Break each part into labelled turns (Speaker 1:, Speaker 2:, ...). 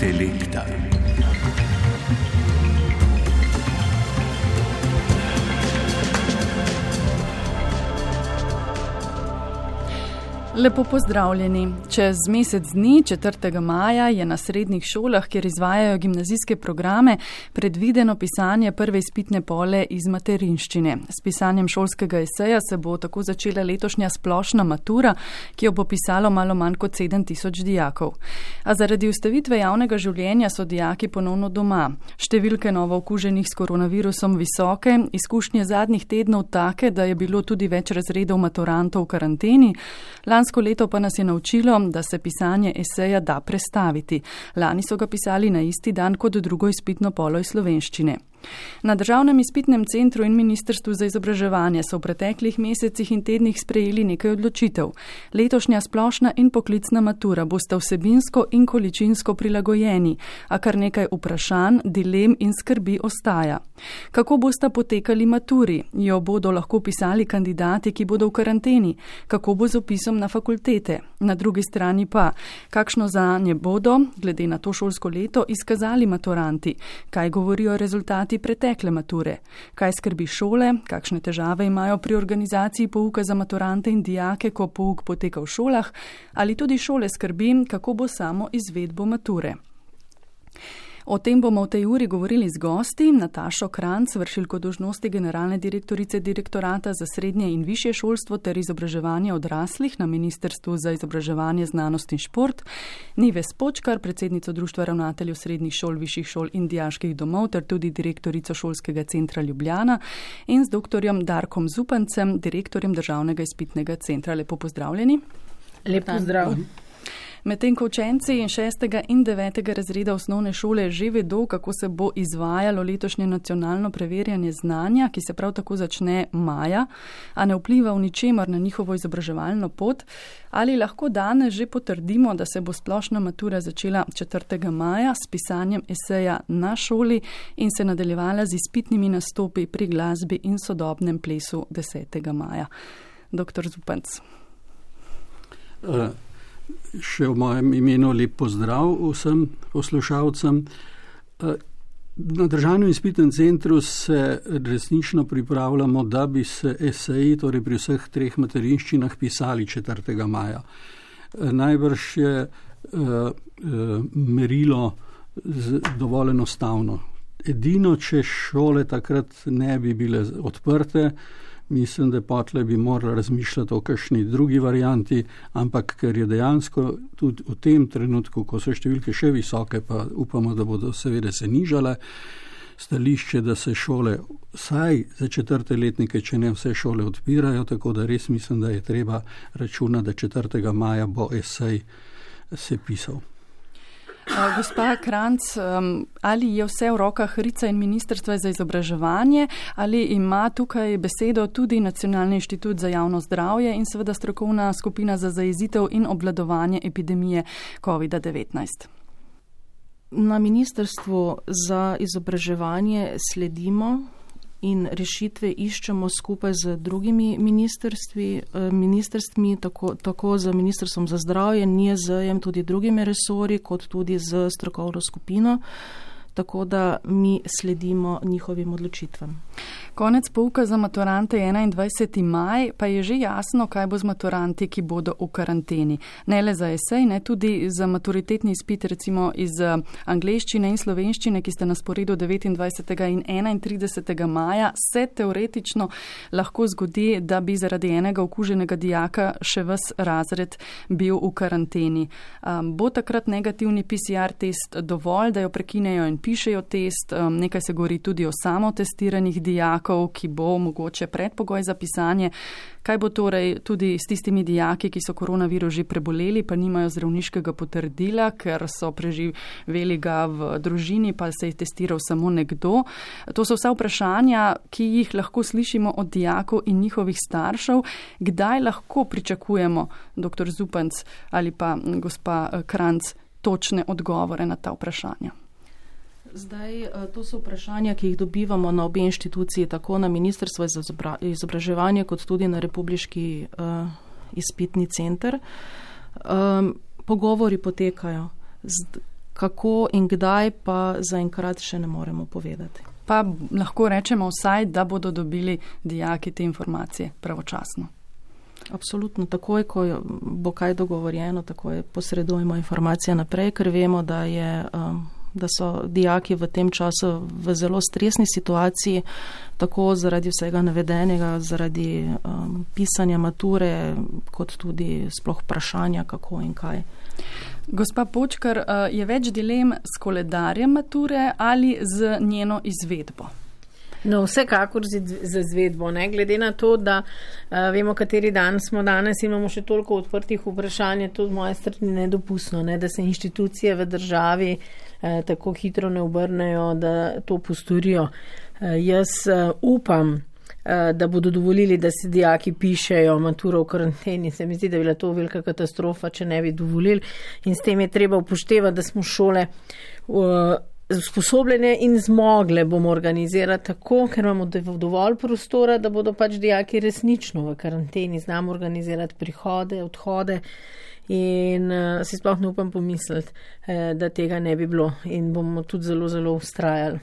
Speaker 1: Intelekta.
Speaker 2: Lepo pozdravljeni. Čez mesec dni, 4. maja, je na srednjih šolah, kjer izvajajo gimnazijske programe, predvideno pisanje prve izpitne pole iz materinščine. S pisanjem šolskega eseja se bo tako začela letošnja splošna matura, ki jo bo pisalo malo manj kot 7000 dijakov. A zaradi ustavitve javnega življenja so dijaki ponovno doma. Številke novo okuženih s koronavirusom visoke, izkušnje zadnjih tednov take, da je bilo tudi več razredov maturantov v karanteni. Lansko leto pa nas je naučilo, da se pisanje eseja da prestaviti. Lani so ga pisali na isti dan kot drugo izpitno polo iz slovenščine. Na Državnem izpitnem centru in Ministrstvu za izobraževanje so v preteklih mesecih in tednih sprejeli nekaj odločitev. Letošnja splošna in poklicna matura bosta vsebinsko in količinsko prilagojeni, a kar nekaj vprašanj, dilem in skrbi ostaja. Kako bosta potekali maturi? Jo bodo lahko pisali kandidati, ki bodo v karanteni? Kako bo z opisom na fakultete? Na drugi strani pa, kakšno zanje bodo, glede na to šolsko leto, izkazali maturanti? Kaj govorijo rezultati pretekle mature? Kaj skrbi šole? Kakšne težave imajo pri organizaciji pouka za maturante in dijake, ko pouk poteka v šolah? Ali tudi šole skrbi, kako bo samo izvedbo mature? O tem bomo v tej uri govorili z gosti. Natašo Kranc, vršilko dolžnosti generalne direktorice Direktorata za srednje in višje šolstvo ter izobraževanje odraslih na Ministrstvu za izobraževanje, znanost in šport, Nives Počkar, predsednico Društva ravnateljev srednjih šol, višjih šol in dijaških domov ter tudi direktorico Šolskega centra Ljubljana, in z doktorjem Darkom Zupancem, direktorjem Državnega izpitnega centra. Lepo pozdravljeni.
Speaker 3: Lep pozdrav.
Speaker 2: Medtem ko učenci 6. in 9. razreda osnovne šole že vedo, kako se bo izvajalo letošnje nacionalno preverjanje znanja, ki se prav tako začne maja, a ne vpliva v ničemer na njihovo izobraževalno pot, ali lahko danes že potrdimo, da se bo splošna matura začela 4. maja s pisanjem eseja na šoli in se nadaljevala z izpitnimi nastopi pri glasbi in sodobnem plesu 10. maja. Dr. Zupanc.
Speaker 4: Še v mojem imenu lep pozdrav vsem poslušalcem. Na Državnem izpitnem centru se resnično pripravljamo, da bi se eseji, torej pri vseh 3 materinščinah, pisali 4. maja. Najbrž je merilo dovolj enostavno. Edino, če šole takrat ne bi bile odprte, mislim, da potle bi morali razmišljati o kakšni drugi varianti, ampak ker je dejansko tudi v tem trenutku, ko so številke še visoke, pa upamo, da bodo seveda se nižale, stališče, da se šole vsaj za 4. letnike, če ne vse šole, odpirajo, tako da res mislim, da je treba računati, da 4. maja bo esej se pisal.
Speaker 2: Gospa Kranc, ali je vse v rokah RIC-a in Ministrstva za izobraževanje, ali ima tukaj besedo tudi Nacionalni inštitut za javno zdravje in seveda strokovna skupina za zajezitev in obvladovanje epidemije COVID-19?
Speaker 3: Na Ministrstvu za izobraževanje sledimo in rešitve iščemo skupaj z drugimi ministrstvi, tako z Ministrstvom za zdravje, NIJZ-jem, tudi drugimi resorji, kot tudi z strokovno skupino, tako da mi sledimo njihovim odločitvam.
Speaker 2: Konec pouka za maturante 21. maj, pa je že jasno, kaj bo z maturanti, ki bodo v karanteni. Ne le za esej, ne tudi za maturitetni izpit, recimo iz angleščine in slovenščine, ki sta na sporedu 29. in 31. maja, se teoretično lahko zgodi, da bi zaradi enega okuženega dijaka še ves razred bil v karanteni. Bo takrat negativni PCR test dovolj, da jo prekinejo in pišejo test? Nekaj se govori tudi o samotestiranih dijakov, ki bo mogoče predpogoj za pisanje. Kaj bo torej tudi s tistimi dijaki, ki so koronavirus že preboleli, pa nimajo zdravniškega potrdila, ker so preživeli ga v družini, pa se je testiral samo nekdo? To so vsa vprašanja, ki jih lahko slišimo od dijakov in njihovih staršev. Kdaj lahko pričakujemo, dr. Zupanc ali pa gospa Kranc, točne odgovore na ta vprašanja?
Speaker 3: Zdaj, to so vprašanja, ki jih dobivamo na obe inštituciji, tako na Ministrstvo za izobraževanje, kot tudi na Republiški izpitni center. Pogovori potekajo. Kako in kdaj pa zaenkrat še ne moremo povedati.
Speaker 2: Pa lahko rečemo vsaj, da bodo dobili dijaki te informacije pravočasno.
Speaker 3: Absolutno, takoj, ko bo kaj dogovorjeno, takoj posredujemo informacije naprej, ker vemo, da so dijaki v tem času v zelo stresni situaciji, tako zaradi vsega navedenega, zaradi pisanja mature, kot tudi sploh vprašanja, kako in kaj.
Speaker 2: Gospa Počkar, je več dilem s koledarjem mature ali z njeno izvedbo?
Speaker 1: No, vsekakor z izvedbo, ne? Glede na to, da vemo, kateri dan smo danes, imamo še toliko odprtih vprašanj, je to z moje strani nedopustno, ne? Da se inštitucije v državi tako hitro ne obrnejo, da to postorijo. Jaz upam, da bodo dovolili, da si dijaki pišejo maturo v karanteni. Se mi zdi, da je bila to velika katastrofa, če ne bi dovolili. In s tem je treba upoštevati, da smo šole usposobljene in zmogle bomo organizirati tako, ker imamo dovolj prostora, da bodo pač dijaki resnično v karanteni, znamo organizirati prihode, odhode in si sploh ne upam pomisliti, da tega ne bi bilo in bomo tudi zelo, zelo ustrajali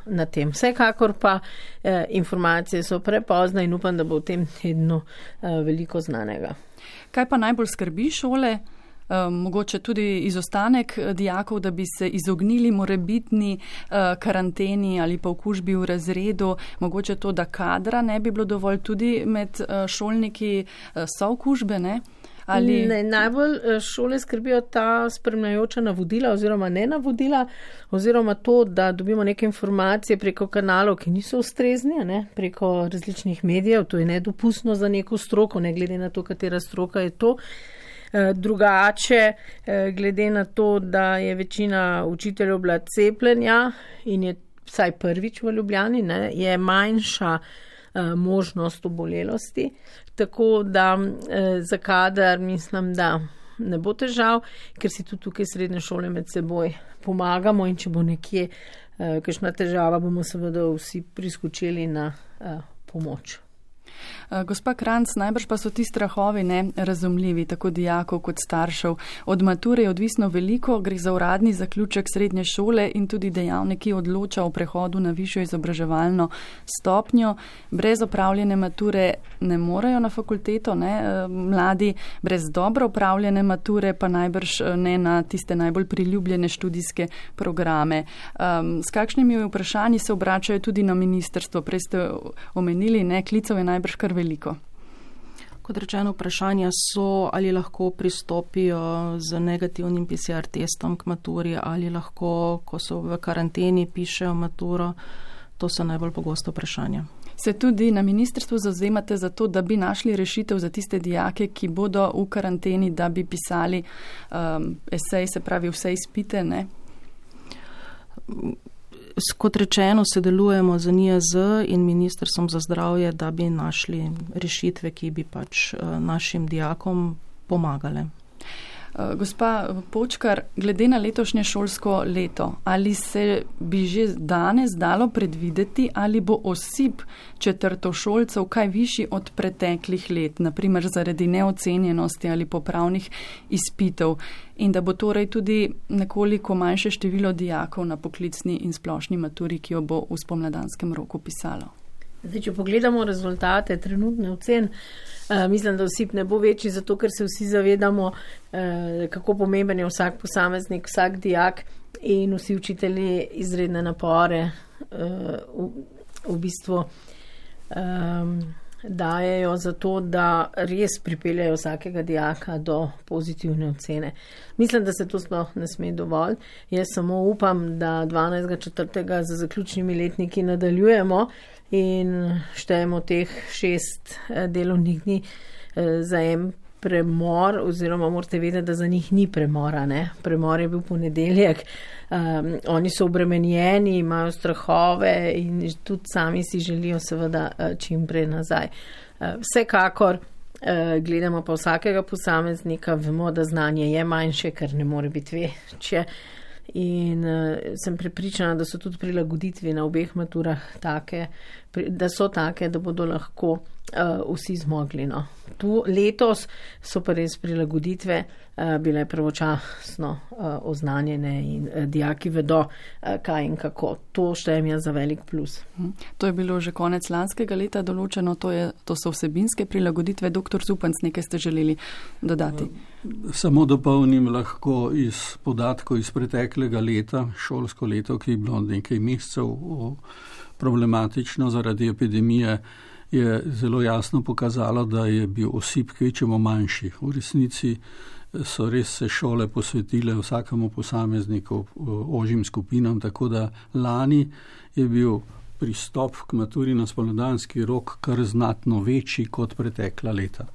Speaker 1: na tem. Vsekakor pa informacije so prepozne in upam, da bo v tem tednu veliko znanega.
Speaker 2: Kaj pa najbolj skrbi šole? Mogoče tudi izostanek dijakov, da bi se izognili morebitni karanteni ali pa okužbi v razredu, mogoče to, da kadra ne bi bilo dovolj, tudi med šolniki so okužbe, ne?
Speaker 1: Ne, najbolj šole skrbijo ta spremljajoča navodila oziroma ne navodila, oziroma to, da dobimo neke informacije preko kanalov, ki niso ustrezni, ne? Preko različnih medijev, to je nedopustno za neko stroko, ne glede na to, katera stroka je to. Drugače, glede na to, da je večina učiteljev bila cepljenja in je vsaj prvič v Ljubljani, ne, je manjša možnost obolelosti, tako da za kader mislim, da ne bo težav, ker si tudi tukaj srednje šole med seboj pomagamo in če bo nekje kakšna težava, bomo seveda vsi priskočili na pomoč.
Speaker 2: Gospa Kranjc, najbrž pa so ti strahovi razumljivi, tako dijakov kot staršev. Od mature je odvisno veliko, gre za uradni zaključek srednje šole in tudi dejavnik, ki odloča o prehodu na višjo izobraževalno stopnjo. Brez opravljene mature ne morejo na fakulteto, ne? Mladi brez dobro opravljene mature pa najbrž ne na tiste najbolj priljubljene študijske programe. S kakšnimi vprašanji se obračajo tudi na ministrstvo? Prej ste omenili, klicev je najbrž kar veliko.
Speaker 3: Kot rečeno, vprašanja so, ali lahko pristopijo z negativnim PCR testom k maturi, ali lahko, ko so v karanteni, pišejo maturo. To so najbolj pogosto vprašanja.
Speaker 2: Se tudi na ministrstvu zavzemate za to, da bi našli rešitev za tiste dijake, ki bodo v karanteni, da bi pisali esej, se pravi vse izpite, ne?
Speaker 3: Kot rečeno, sodelujemo z NIJZ in Ministrstvom za zdravje, da bi našli rešitve, ki bi pač našim dijakom pomagale.
Speaker 2: Gospa Počkar, glede na letošnje šolsko leto, ali se bi že danes dalo predvideti, ali bo osip četrtošolcev kaj višji od preteklih let, naprimer zaradi neocenjenosti ali popravnih izpitov, in da bo torej tudi nekoliko manjše število dijakov na poklicni in splošni maturi, ki jo bo v spomladanskem roku pisalo?
Speaker 1: Zdaj, če pogledamo rezultate trenutne ocen, mislim, da osip ne bo večji, zato ker se vsi zavedamo, kako pomemben je vsak posameznik, vsak dijak in vsi učitelji izredne napore v bistvu dajejo za to, da res pripeljajo vsakega dijaka do pozitivne ocene. Mislim, da se to sploh ne sme dovolj. Jaz samo upam, da 12.4. za zaključnimi letniki nadaljujemo in štejemo teh 6 delovnih dni za en premor, oziroma morate vedeti, da za njih ni premora, ne? Premor je bil ponedeljek, oni so obremenjeni, imajo strahove in tudi sami si želijo seveda čim prej nazaj. Vsekakor gledamo pa vsakega posameznika, vemo, da znanje je manjše, ker ne more biti večje. In sem prepričana, da so tudi prilagoditve na obeh maturah take, da so take, da bodo lahko vsi zmogli. No. Tu letos so pa res prilagoditve bile pravočasno oznanjene in dijaki vedo, kaj in kako. To štejem jaz za velik plus.
Speaker 2: To je bilo že konec lanskega leta določeno, to so vsebinske prilagoditve. Dr. Zupanc, nekaj ste želeli dodati?
Speaker 4: Samo dopolnim lahko iz podatkov iz preteklega leta, šolsko leto, ki je bilo nekaj mesecev problematično zaradi epidemije, je zelo jasno pokazalo, da je bil osip kvečemo manjši. V resnici so res se šole posvetile vsakemu posamezniku, ožjim skupinam, tako da lani je bil pristop k maturi na spomladanski rok kar znatno večji kot pretekla leta.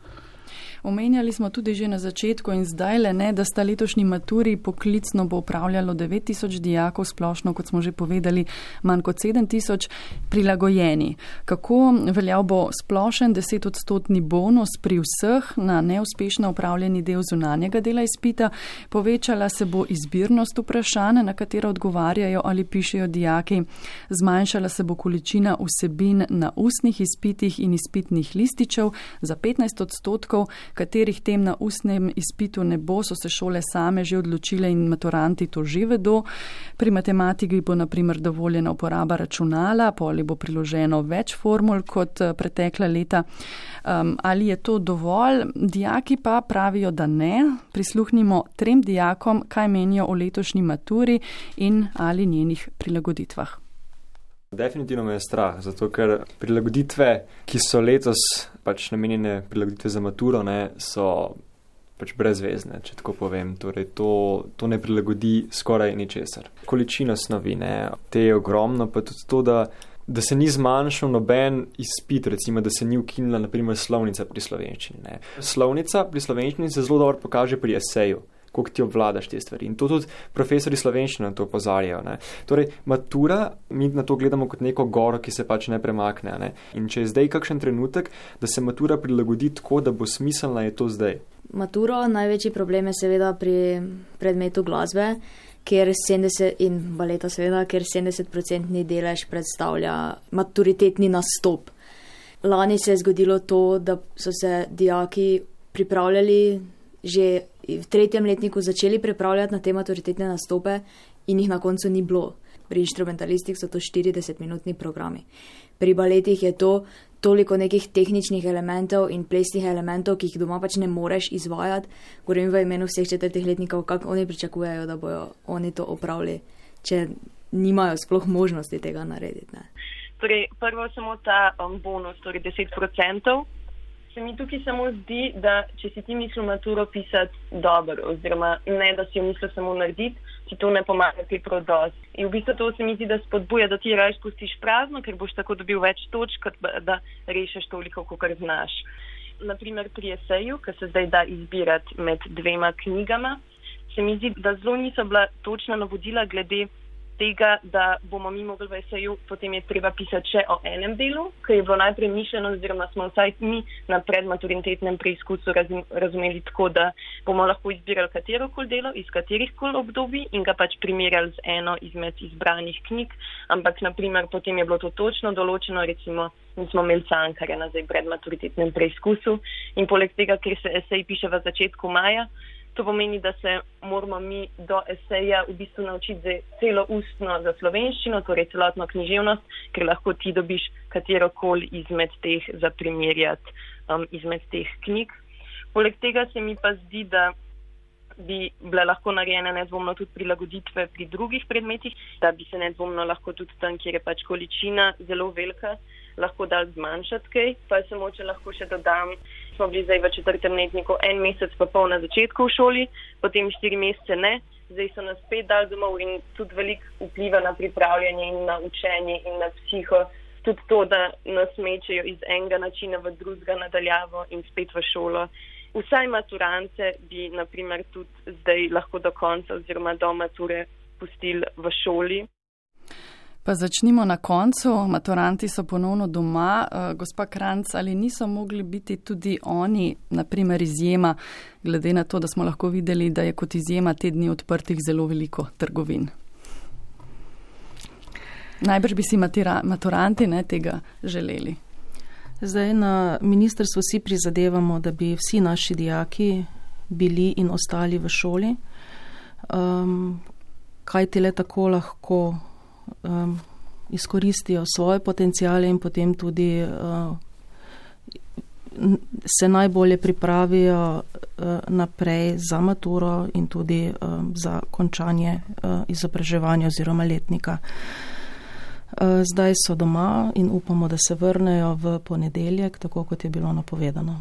Speaker 2: Omenjali smo tudi že na začetku in zdajle, da sta letošnji maturi poklicno bo upravljalo 9000 dijakov, splošno, kot smo že povedali, manj kot 7000 prilagojeni. Kako veljal bo splošen 10% bonus pri vseh na neuspešno upravljeni del zunanjega dela izpita? Povečala se bo izbirnost vprašanj, na katera odgovarjajo ali pišejo dijaki. Zmanjšala se bo količina vsebin na ustnih izpitih in izpitnih lističev za 15%, katerih tem na ustnem izpitu ne bo, so se šole same že odločile in maturanti to že vedo. Pri matematiki bo na primer dovoljena uporaba računala, poli bo priloženo več formul kot pretekla leta. Ali je to dovolj? Dijaki pa pravijo, da ne. Prisluhnimo 3 dijakom, kaj menijo o letošnji maturi in ali njenih prilagoditvah.
Speaker 5: Definitivno me je strah, zato ker prilagoditve, ki so letos namenjene prilagoditve za maturo, so brezvezne, če tako povem. Torej, to ne prilagodi skoraj ničesar. Količina snovi, te je ogromno, pa tudi to, da se ni zmanjšal noben izpit, recimo, da se ni ukinila naprimer slovnica pri slovenščini. Slovnica pri slovenščini se zelo dobro pokaže pri eseju, koliko ti obvladaš te stvari. In to tudi profesori slovenščine na to opozarjajo. Torej, matura, mi na to gledamo kot neko goro, ki se ne premakne. In če je zdaj kakšen trenutek, da se matura prilagodi tako, da bo smiselna, je to zdaj.
Speaker 6: Maturo, največji problem je seveda pri predmetu glasbe, kjer 70% in baleta seveda, kjer 70% delež predstavlja maturitetni nastop. Lani se je zgodilo to, da so se dijaki pripravljali že v 3. letniku začeli pripravljati na te maturitetne nastope in jih na koncu ni bilo. Pri inštrumentalistih so to 40-minutni programi. Pri baletih je to toliko nekih tehničnih elementov in plesnih elementov, ki jih doma ne moreš izvajati. Govorim v imenu vseh 4. letnikov, kako oni pričakujejo, da bojo oni to opravili, če nimajo sploh možnosti tega narediti.
Speaker 7: Torej, prvo samo ta bonus, torej 10%. Se mi tukaj samo zdi, da če si ti mislil maturo pisati dobro, oziroma ne, da si jo mislil samo narediti, ti to ne pomaga kaj prav dosti. In v bistvu to se mi zdi, da spodbuja, da ti raje spustiš prazno, ker boš tako dobil več točk, kot da rešiš toliko, kolikor znaš. Naprimer pri eseju, ki se zdaj da izbirati med 2 knjigama, se mi zdi, da zelo niso bila točna navodila glede tega, da bomo mi mogli v eseju, potem je treba pisati še o enem delu, ker je bilo najprej mišljeno, oziroma smo vsaj mi na predmaturitetnem preizkusu razumeli tako, da bomo lahko izbirali katerokoli delo iz katerihkoli obdobij in ga primerjali z eno izmed izbranih knjig, ampak naprimer potem je bilo to točno določeno, recimo mi smo imeli Cankarja na zdaj predmaturitetnem preizkusu in poleg tega, ker se esej piše v začetku maja, to pomeni, da se moramo mi do eseja v bistvu naučiti celo ustno za slovenščino, torej celotno književnost, ker lahko ti dobiš katerokoli izmed teh za primerjati izmed teh knjig. Poleg tega se mi pa zdi, da bi bile lahko narejene nedvomno tudi prilagoditve pri drugih predmetih, da bi se nedvomno lahko tudi tam, kjer je količina zelo velika, lahko dal zmanjšati kaj. Pa samo, če lahko še dodam, smo bili zdaj v 4. letniku 1 mesec pa pol na začetku v šoli, potem 4 mesece ne, zdaj so nas spet dali domov in tudi veliko vpliva na pripravljanje in na učenje in na psiho. Tudi to, da nas mečejo iz enega načina v drugega nadaljavo in spet v šolo. Vsaj maturante bi naprimer tudi zdaj lahko do konca oziroma do mature pustili v šoli.
Speaker 2: Pa začnimo na koncu. Maturanti so ponovno doma. Gospa Kranjc, ali niso mogli biti tudi oni, naprimer, izjema, glede na to, da smo lahko videli, da je kot izjema te dni odprtih zelo veliko trgovin? Najbrž bi si maturanti tega želeli.
Speaker 3: Zdaj na ministrstvu vsi prizadevamo, da bi vsi naši dijaki bili in ostali v šoli. Kaj ti le tako lahko izkoristijo svoje potencijale in potem tudi se najbolje pripravijo naprej za maturo in tudi za končanje izobraževanja oziroma letnika. Zdaj so doma in upamo, da se vrnejo v ponedeljek, tako kot je bilo napovedano.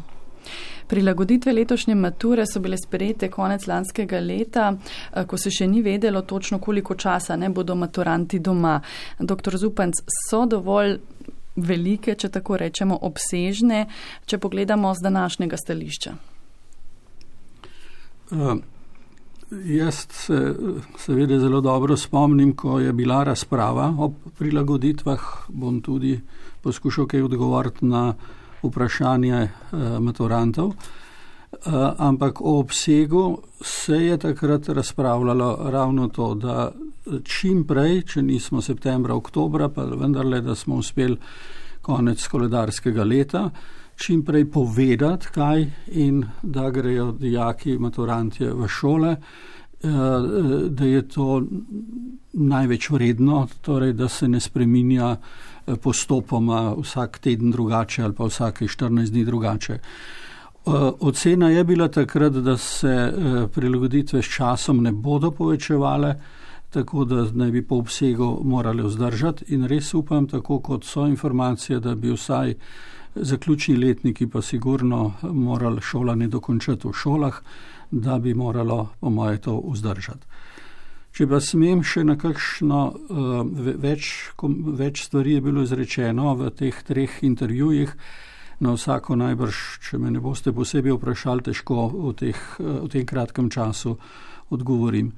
Speaker 2: Prilagoditve letošnje mature so bile sprejete konec lanskega leta, ko se še ni vedelo točno, koliko časa bodo maturanti doma. Dr. Zupanc, so dovolj velike, če tako rečemo, obsežne, če pogledamo z današnjega stališča?
Speaker 4: Jaz se seveda zelo dobro spomnim, ko je bila razprava o prilagoditvah, bom tudi poskušal kaj odgovoriti na vprašanje maturantov, ampak o obsegu se je takrat razpravljalo ravno to, da čim prej, če nismo septembra, oktobra, pa vendarle, da smo uspeli konec koledarskega leta, čim prej povedati, kaj in da grejo dijaki, maturantje v šole, da je to največ vredno, torej da se ne spreminja postopoma vsak teden drugače ali pa vsake 14 dni drugače. Ocena je bila takrat, da se prilagoditve s časom ne bodo povečevale, tako da naj bi po obsegu morali vzdržati in res upam, tako kot so informacije, da bi vsaj zaključni letniki pa sigurno morali šolanje dokončati v šolah, da bi moralo po moje to vzdržati. Če pa smem še na kakšno več stvari je bilo izrečeno v teh 3 intervjujih, na vsako najbrž, če me ne boste posebej vprašali, težko v tem kratkem času odgovorim.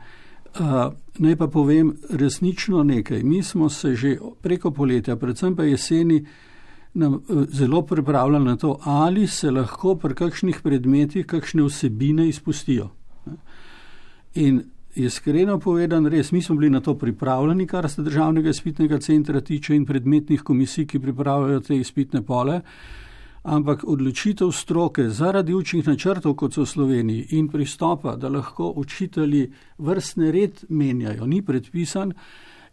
Speaker 4: Naj pa povem resnično nekaj. Mi smo se že preko poletja, predvsem pa jeseni, zelo pripravljali na to, ali se lahko pri kakšnih predmetih kakšne vsebine izpustijo. In iskreno povedan, res, mi smo bili na to pripravljeni, kar se Državnega izpitnega centra tiče in predmetnih komisij, ki pripravljajo te izpitne pole, ampak odločitev stroke zaradi učnih načrtov, kot so v Sloveniji, in pristopa, da lahko učitelji vrstni red menjajo, ni predpisan,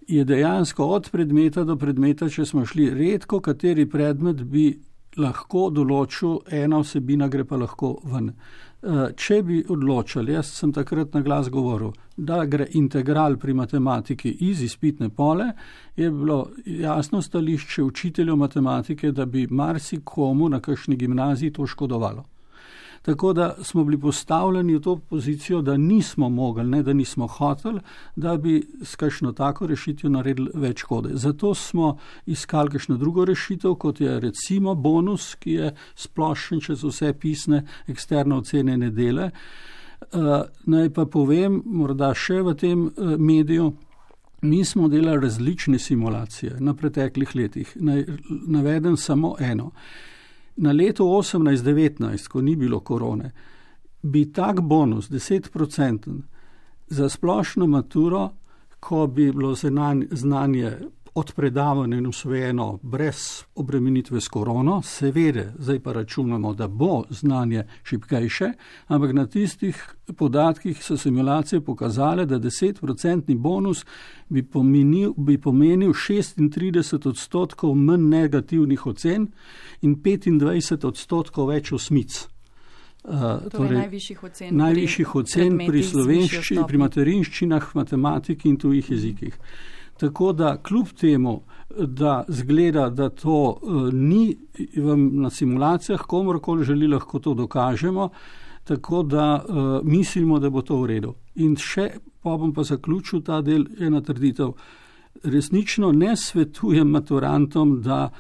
Speaker 4: je dejansko od predmeta do predmeta, če smo šli, redko kateri predmet bi lahko določil, ena vsebina gre pa lahko ven. Če bi odločili, jaz sem takrat na glas govoril, da gre integral pri matematiki iz izpitne pole, je bilo jasno stališče učiteljev matematike, da bi marsikomu na kakšni gimnaziji to škodovalo. Tako da smo bili postavljeni v to pozicijo, da nismo mogli, ne da nismo hoteli, da bi s kakšno tako rešitev naredili več škode. Zato smo iskali kakšno drugo rešitev, kot je recimo bonus, ki je splošen čez vse pisne eksterne ocenjene dele. Naj pa povem, morda še v tem mediju, mi smo delali različne simulacije na preteklih letih. Navedem samo eno. Na leto 18-19, ko ni bilo korone, bi tak bonus 10% za splošno maturo, ko bi bilo znanje odpredavano in usvojeno brez obremenitve s korono, seveda, zdaj pa računamo, da bo znanje šibkejše, ampak na tistih podatkih so simulacije pokazale, da 10% bonus bi pomenil 36% manj negativnih ocen in 25% več osmic.
Speaker 2: Torej
Speaker 3: najvišjih ocen
Speaker 4: pri slovenščini, pri materinščinah, matematiki in tujih jezikih. Tako da kljub temu, da zgleda, da to ni na simulacijah, komorkoli želi, lahko to dokažemo, tako da mislimo, da bo to v redu. In še, pa bom pa zaključil ta del, ena trditev. Resnično ne svetujem maturantom, da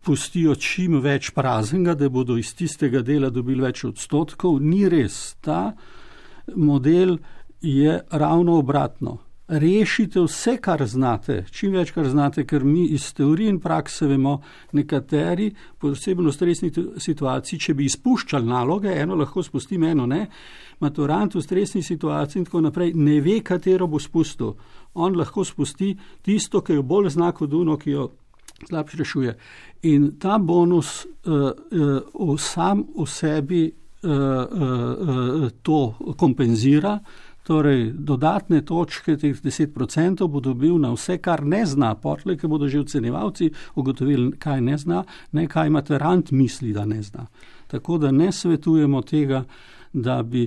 Speaker 4: pustijo čim več praznega, da bodo iz tistega dela dobili več odstotkov. Ni res. Ta model je ravno obratno. rešite vse, kar znate, čim več, kar znate, ker mi iz teorije in prakse vemo, nekateri, posebno v stresnih situaciji, če bi izpuščali naloge, eno lahko spustim, eno ne, maturant v stresni situaciji in tako naprej ne ve, katero bo spustil. On lahko spusti tisto, ki jo bolj zna kot ono, ki jo slabše rešuje. In ta bonus sam v sebi to kompenzira, torej dodatne točke, teh 10% bo dobil na vse, kar ne zna, potlej, ki bodo že ocenjevalci ugotovili, kaj ne zna, ne kaj maturant misli, da ne zna. Tako da ne svetujemo tega, da bi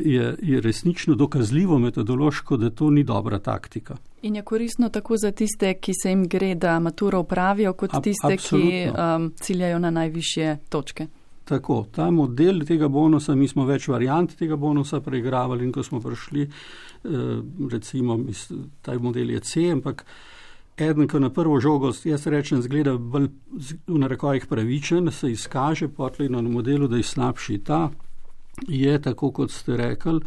Speaker 4: je resnično dokazljivo metodološko, da to ni dobra taktika.
Speaker 2: In je koristno tako za tiste, ki se jim gre, da maturo opravijo, kot tiste,
Speaker 4: absolutno.
Speaker 2: Ki ciljajo na najvišje točke.
Speaker 4: Tako, ta model tega bonusa, mi smo več variant tega bonusa preigravali in ko smo prišli, recimo, ta model je C, ampak eden, ko na prvo žogo, jaz rečem, zgleda bolj v narekovajih pravičen, se izkaže potlej na modelu, da je slabši. Ta je, tako kot ste rekli,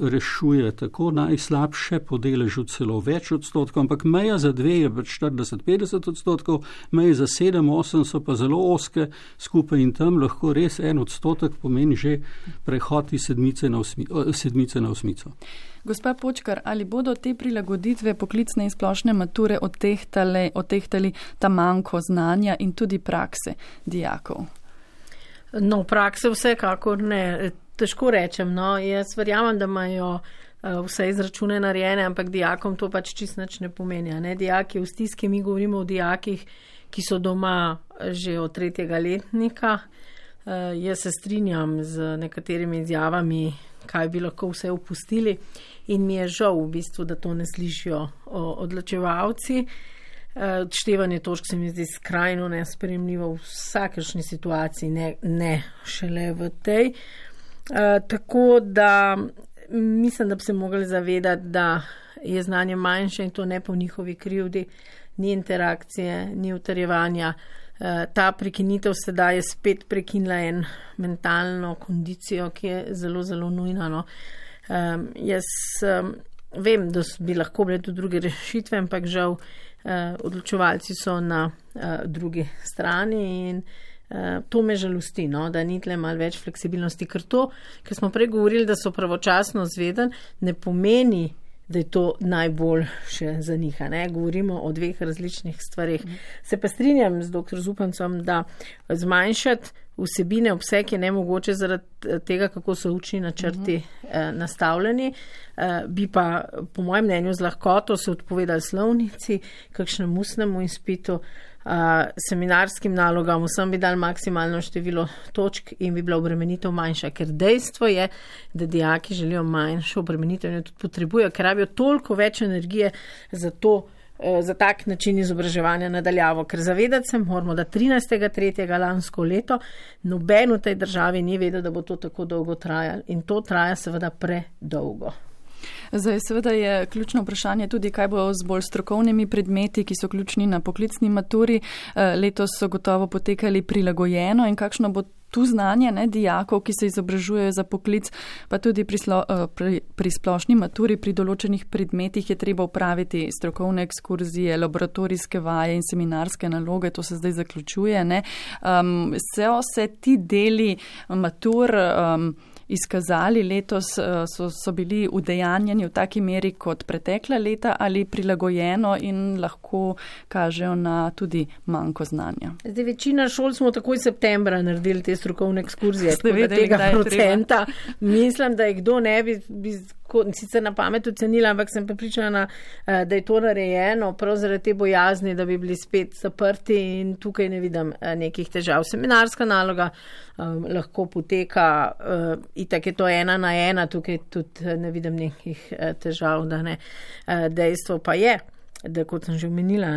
Speaker 4: rešuje tako najslabše po deležu celo več odstotkov, ampak meja za 2 je 40-50 odstotkov, meje za 7-8 so pa zelo oske skupaj in tam lahko res 1 odstotek pomeni že prehod iz sedmice na osmico.
Speaker 2: Gospa Počkar, ali bodo te prilagoditve poklicne in splošne mature odtehtali ta manko znanja in tudi prakse dijakov?
Speaker 1: No, prakse vsekakor ne. Težko rečem, no, jaz verjamem, da imajo vse izračune narejene, ampak dijakom to pač čisto nič ne pomeni. Ne? Dijaki v stiski, mi govorimo o dijakih, ki so doma že od 3. letnika. Jaz se strinjam z nekaterimi izjavami, kaj bi lahko vse opustili in mi je žal v bistvu, da to ne slišijo odločevalci. Odštevanje točk se mi zdi skrajno nesprejemljivo v vsakršni situaciji, ne šele v tej. Tako da mislim, da bi se mogli zavedati, da je znanje manjše in to ne po njihovi krivdi, ni interakcije, ni utrjevanja. Ta prekinitev sedaj je spet prekinila en mentalno kondicijo, ki je zelo, zelo nujna. No. Jaz vem, da bi lahko bile tudi druge rešitve, ampak žal odločevalci so na drugi strani in to me žalosti, no, da ni tle malo več fleksibilnosti, ker smo prej govorili, da so pravočasno zvedeni, ne pomeni, da je to najboljše za njih. Ne? Govorimo o 2 različnih stvareh. Se pa strinjam z dr. Zupancem, da zmanjšati vsebine, obseg je nemogoče zaradi tega, kako so učni načrti nastavljeni. Bi pa, po mojem mnenju, z lahkoto se odpovedali slovnici, kakšnemu ustnemu izpitu, seminarskim nalogam, vsem bi dali maksimalno število točk in bi bila obremenitev manjša, ker dejstvo je, da dijaki želijo manjšo obremenitev in jo tudi potrebujejo, ker rabijo toliko več energije za tak način izobraževanja nadaljavo, ker zavedati se moramo, da 13.3. lansko leto noben v tej državi ni vedel, da bo to tako dolgo trajalo in to traja seveda predolgo.
Speaker 2: Zdaj, seveda je ključno vprašanje tudi, kaj bo z bolj strokovnimi predmeti, ki so ključni na poklicni maturi. Letos so gotovo potekali prilagojeno in kakšno bo tu znanje dijakov, ki se izobražujejo za poklic, pa tudi pri splošni maturi, pri določenih predmetih je treba upraviti strokovne ekskurzije, laboratorijske vaje in seminarske naloge, to se zdaj zaključuje. So se ti deli matur izkazali letos, so bili udejanjeni v taki meri kot pretekla leta ali prilagojeno in lahko kažejo na tudi manjko znanja.
Speaker 1: Zdaj, večina šol smo takoj septembra naredili te strokovne ekskurzije, tako da tega procenta mislim, da je kdo ne bi sicer na pamet ocenila, ampak sem prepričana, da je to narejeno prav zaradi te bojazni, da bi bili spet zaprti in tukaj ne vidim nekih težav. Seminarska naloga lahko poteka, itak je to 1 na 1, tukaj tudi ne vidim nekih težav, da ne. Dejstvo pa je, da kot sem že omenila,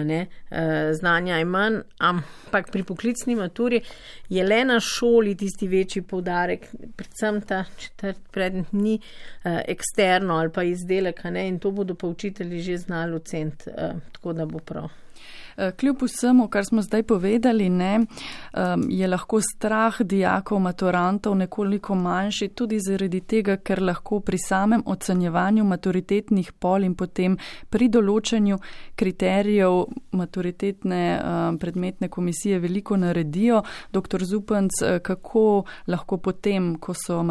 Speaker 1: znanja je manj, ampak pri poklicni maturi je le na šoli tisti večji poudarek, predvsem ta 4. predmet ni eksterno ali pa izdelek, in to bodo pa učitelji že znali oceniti, tako da bo prav.
Speaker 2: Kljub vsemu, kar smo zdaj povedali, je lahko strah dijakov, maturantov nekoliko manjši tudi zaradi tega, ker lahko pri samem ocenjevanju maturitetnih pol in potem pri določanju kriterijev maturitetne predmetne komisije veliko naredijo. Dr. Zupanc, kako lahko potem, ko so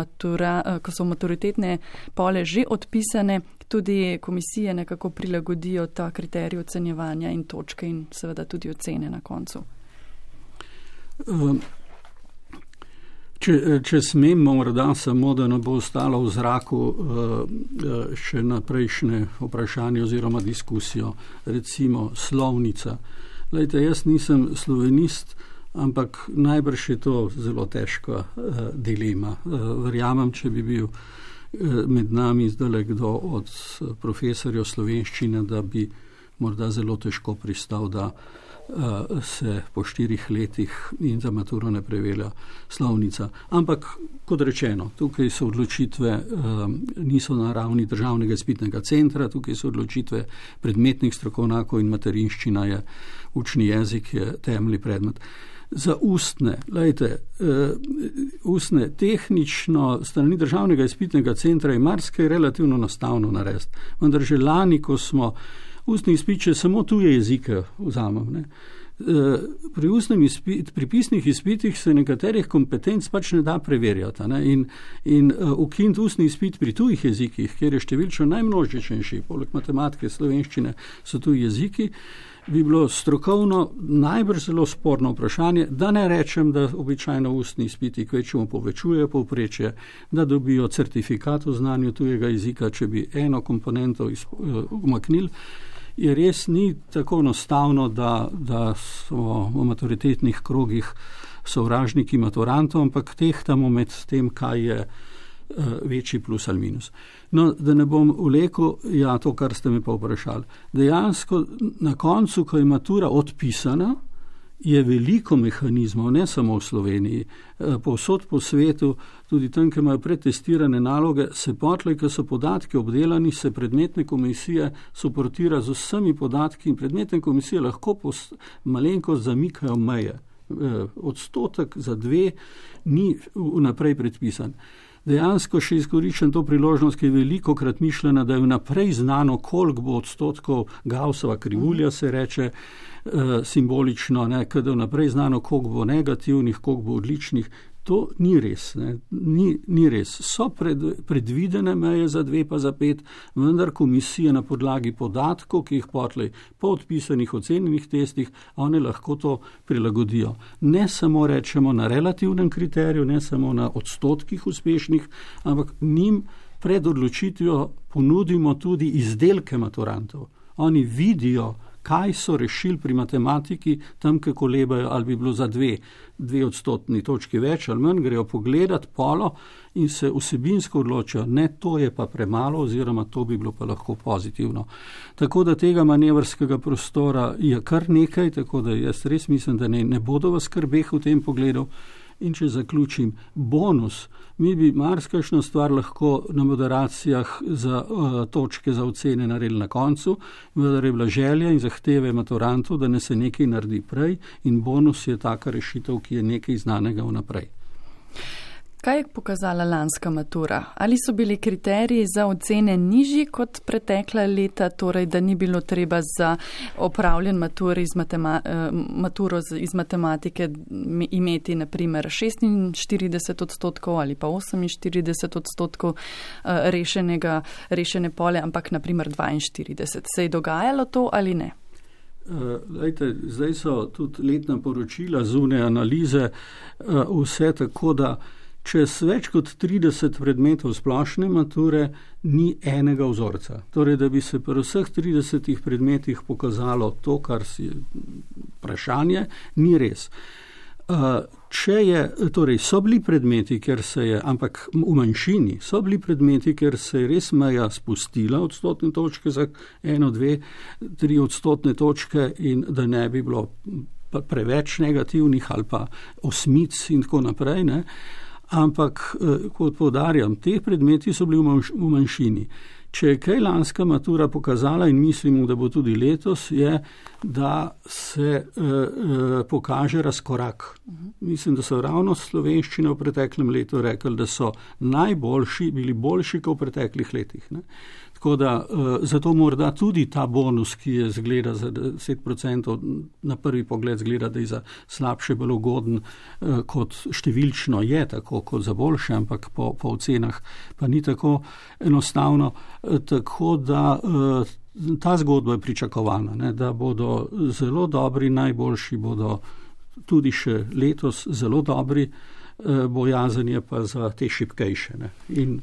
Speaker 2: maturitetne pole že odpisane, tudi komisije nekako prilagodijo ta kriterij ocenjevanja in točke in seveda tudi ocene na koncu?
Speaker 4: Če smem morda samo, da ne bo ostalo v zraku še naprejšnje vprašanje oziroma diskusijo, recimo slovnica. Glejte, jaz nisem slovenist, ampak najbrž je to zelo težka dilema. Verjamem, če bi bil med nami zdaj kdo od profesorjev slovenščine, da bi morda zelo težko pristal, da se po 4 letih in za maturo ne prevelja slovnica. Ampak, kot rečeno, tukaj so odločitve, niso na ravni državnega izpitnega centra, tukaj so odločitve predmetnih strokovnjakov in materinščina je učni jezik, je temeljni predmet. Za ustne, ustne tehnično strani državnega izpitnega centra je marsikaj relativno enostavno narediti. Vendar že lani, ko smo ustni izpit, če samo tuje jezike vzamem, pri pisnih izpitih se nekaterih kompetenc pač ne da preverjati. In ukiniti ustni izpit pri tujih jezikih, kjer je številčno najmnožičnejši, poleg matematike, slovenščine so tuji jeziki, bi bilo strokovno najbrž zelo sporno vprašanje, da ne rečem, da običajno ustni izpiti kvečemu povečujejo povprečje, da dobijo certifikat o znanju tujega jezika, če bi eno komponento umaknili. Je res ni tako enostavno, da so v maturitetnih krogih sovražniki maturantov, ampak tehtamo med tem, kaj je večji plus ali minus. No, da ne bom vlekel, to, kar ste me pa vprašali. Dejansko na koncu, ko je matura odpisana, je veliko mehanizmov, ne samo v Sloveniji, povsod po svetu, tudi tam, ki imajo pretestirane naloge, se potlej, ko so podatki obdelani, se predmetne komisije suportira z vsemi podatki in predmetne komisije lahko malenko zamikajo meje. Odstotek za 2 ni vnaprej predpisan. Dejansko še izkoriščam to priložnost, ki je velikokrat mišljena, da je vnaprej znano, koliko bo odstotkov Gaussova krivulja, se reče simbolično, kada je vnaprej znano, koliko bo negativnih, koliko bo odličnih. To ni res. Ni res. So predvidene meje za 2 pa za 5, vendar komisije na podlagi podatkov, ki jih potlej po odpisanih ocenjenih testih, one lahko to prilagodijo. Ne samo rečemo na relativnem kriteriju, ne samo na odstotkih uspešnih, ampak njim pred odločitvijo ponudimo tudi izdelke maturantov. Oni vidijo, kaj so rešili pri matematiki, tam, ki kolebajo, ali bi bilo za 2 odstotni točki več ali manj, grejo pogledat polo in se vsebinsko odločijo, ne, to je pa premalo oziroma to bi bilo pa lahko pozitivno. Tako da tega manevrskega prostora je kar nekaj, tako da jaz res mislim, da ne bodo v skrbeh v tem pogledu. In če zaključim, bonus, mi bi marsikajšno stvar lahko na moderacijah za točke za ocene naredili na koncu, vendar je bila želja in zahteve maturantov, da ne se nekaj naredi prej in bonus je taka rešitev, ki je nekaj znanega vnaprej.
Speaker 2: Kaj je pokazala lanska matura? Ali so bili kriteriji za ocene nižji kot pretekla leta, torej da ni bilo treba za opravljen maturo iz matematike imeti naprimer 46 odstotkov ali pa 48 odstotkov rešene pole, ampak naprimer 42. Se je dogajalo to ali ne?
Speaker 4: Zdaj so tudi letna poročila, zunaj analize, vse tako, da čez več kot 30 predmetov splošne mature ni enega vzorca. Torej, da bi se pri vseh 30 predmetih pokazalo to, kar si vprašanje, ni res. So bili predmeti, ker se je, ampak v manjšini, so bili predmeti, ker se je res meja spustila odstotne točke za 1, 2, 3 odstotne točke in da ne bi bilo preveč negativnih ali pa osmic in tako naprej, ne. Ampak, kot poudarjam, te predmeti so bili v manjšini. Če je kaj lanska matura pokazala in mislimo, da bo tudi letos, je, da se pokaže razkorak. Mislim, da so ravno slovenščine v preteklem letu rekli, da so najboljši, bili boljši kot v preteklih letih. Ne? Tako da zato morda tudi ta bonus, ki je zgleda za 10%, na prvi pogled zgleda, da je za slabše bolj ugoden, kot številčno je, tako kot za boljše, ampak po ocenah pa ni tako enostavno. Tako da ta zgodba je pričakovana, ne, da bodo zelo dobri, najboljši bodo tudi še letos zelo dobri, bojazen je pa za te šibkejše. Ne. In